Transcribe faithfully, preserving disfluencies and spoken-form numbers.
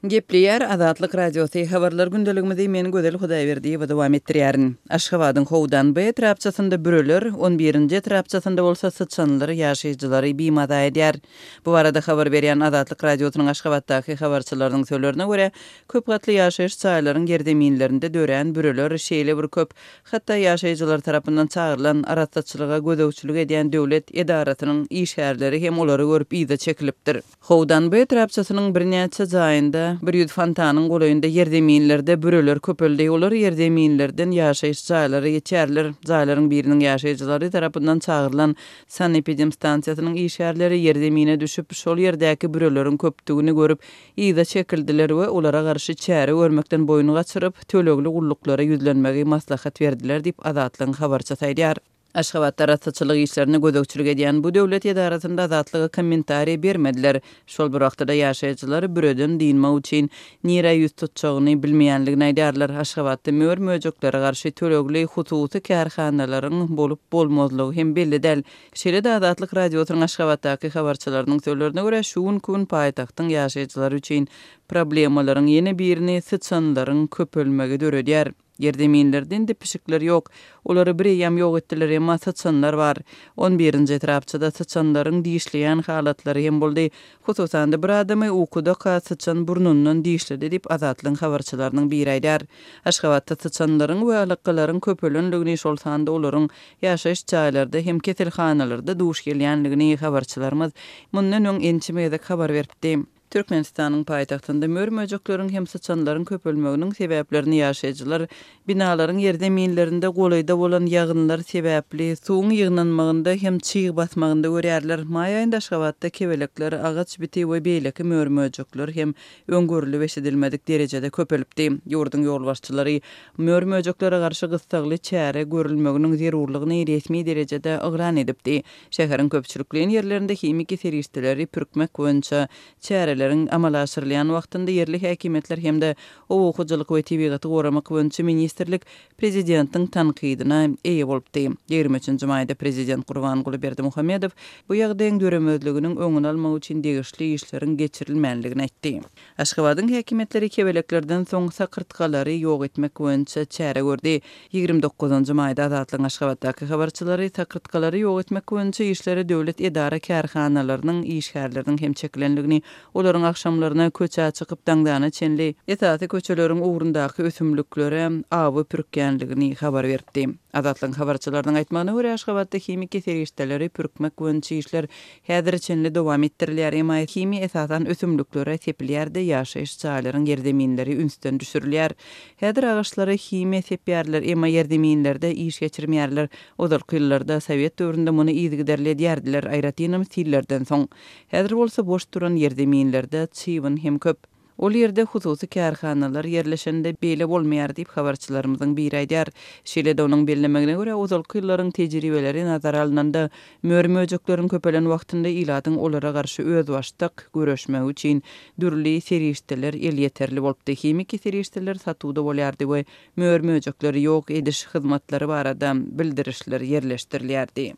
Gepleýär Azatlyk Radiosy, Habarlar gündeligimizi men Gözel Hudaýberdiýewa dowam etdirýärin. Aşgabadyň Howdan B etrapçasynda büreler, on birinji etrapçasynda bolsa syçanlar ýaşaýjylary bimaza edýär. Bu barada habar berýän Azatlyk Radiosynyň Aşgabatdaky habarçylarynyň sözlerine görä, köp gatly ýaşaýyş jaýlaryň ýerzeminlerinde dörän büreler şeýle bir köp, hatda ýaşaýjylar tarapyndan çagyrylan arassaçylyga gözegçilik edýän döwlet edarasynyň işgärleri hem olary görüp yza çekilipdir. Howdan B etrapçasynyň birnäçe jaýynda, bir ýüz fontanyň golaýynda ýerzeminlerde büreler köpeldi. Olar ýerzeminlerden ýaşaýyş jaýlara geçýärler. Jaýlaryň biriniň ýaşaýjylary tarapyndan çagyrylan sanepidemstansiýasynyň işgärleri ýerzemine düşüp, şol ýerdäki büreleriň köpdügini görüp, yza çekildiler we olara garşy çäre görmekden boýun gaçyryp, tölegli gulluklara ýüzlenmegi maslahat berdiler diýip, Azatlygyň habarçysy aýdýar. Aşgabatda arassaçylyk işlerine gözegçilik edýän bu döwlet edarasynda Azatlyga kommentariý bermediler. Şol bir wagtda-da ýaşaýjylar büreden dynmak üçin nirä ýüz tutjagyny bilmeýänligini aýdýarlar. Aşgabatda mör-möjeklere garşy tölegli hususy kärhanalaryň bolup-bolmazlygy hem belli däl. Şeýle-de Azatlyk Radiosynyň Aşgabatdaky habarçylarynyň sözlerine görä, şu günki gün paýtagtyň ýaşaýjylary üçin problemalaryň ýene birini syçanlaryň köpelmegi döredýär. Ýerzeminlerde indi pişikler ýok. Olary bireýýäm ýok etdiler, emma syçanlar bar. On birinji etrapçada syçanlaryň dişleýän halatlary hem boldy. Hususan-da bir adamy ukudaka syçan burnundan dişledi diýip, Azatlygyň habarçylarynyň biri aýdýar. Aşgabatda syçanlaryň we alakgalaryň köpelendigini, şol sanda olaryň ýaşaýyş jaýlarda hem keselhanalarda duş gelýändigini habarçylarymyz mundan öň ençeme gezek habar beripdi. Türkmenistanyň paýtagtynda mör-möjekleriň hem syçanlaryň köpelmeginiň sebäplerini ýaşaýjylar binalaryň ýerzeminlerinde golaýda bolan ýagynlar sebäpli suwuň ýygnanmagynda hem çyg basmagynda görýärler. Maý aýynda Aşgabatda kebelekler, agaç biti we beýleki mör-möjekler hem öň görlüp eşidilmedik derejede köpelipdi. Ýurduň ýolbaşçylary mör-möjeklere garşy gyssagly çäre görülmeginiň zerurlygyny resmi derejede yglan edipdi. Şäheriň köpçülikleýin ýerlerinde himiki serişdeleri pürkmek boýunça çäreleriň amala aşyrylýan wagtynda ýerli häkimiýetler hem-de Oba hojalyk we tebigaty goramak boýunça ministrlik prezidentiň tankydyna eýe bolupdy. Ýigrimi üçünji maýda prezident Gurbanguly Berdimuhamedow bu ýagdaýyň döremezliginiň öňüni almak üçin degişli işleriň geçirilmändigini aýtdy. Aşgabadyň häkimiýetleri kebeleklerden soň sakyrtgalary ýok etmek boýunça çäre gördi. Ýigrimi dokuzynjy maýda Azatlygyň Aşgabatdaky habarçylary sakyrtgalary ýok etmek boýunça işlere döwlet edara-kärhanalarynyň işgärleriniň hem çekilendigini, olaryň agşamlaryna köçä çykyp daňdana çenli esasy köçeleriň ugrundaky ösümliklere awy pürkýänligini habar beripdi. Azatlygyň habarçylarynyň aýtmagyna görä, Aşgabatda himiki serişdeleri pürkmek boýunça işler häzire çenli dowam etdirilýär, emma himiýa esasan ösümliklere sepilýär-de, ýaşaýyş jaýlaryň ýerzeminleri ünsden düşürilýär. Häzir agaçlara himiýa sepýärler, emma ýerzeminlerde iş geçirmeýärler. Ozalky ýyllarda, sowet döwründe muny yzygiderli edýärdiler, aýratynam sillerden soň. Häzir bolsa boş duran ýerzeminlerde çybyn hem köp. Ol ýerde hususy kärhanalar ýerleşende beýle bolmaýar diýip, habarçylarymyzyň biri aýdýar. Şeýle-de onuň bellemegine görä, ozalky ýyllaryň tejribeleri nazara alnanda, mör-möjekleriň köpelen wagtynda ilatyň olara garşy özbaşdak göreşmegi üçin dürli serişdeler elýeterli bolupdy. Himiki serişdeler satuwda bolýardy we mör-möjekleri ýok ediş hyzmatlary barada bildirişler ýerleşdirilýärdi.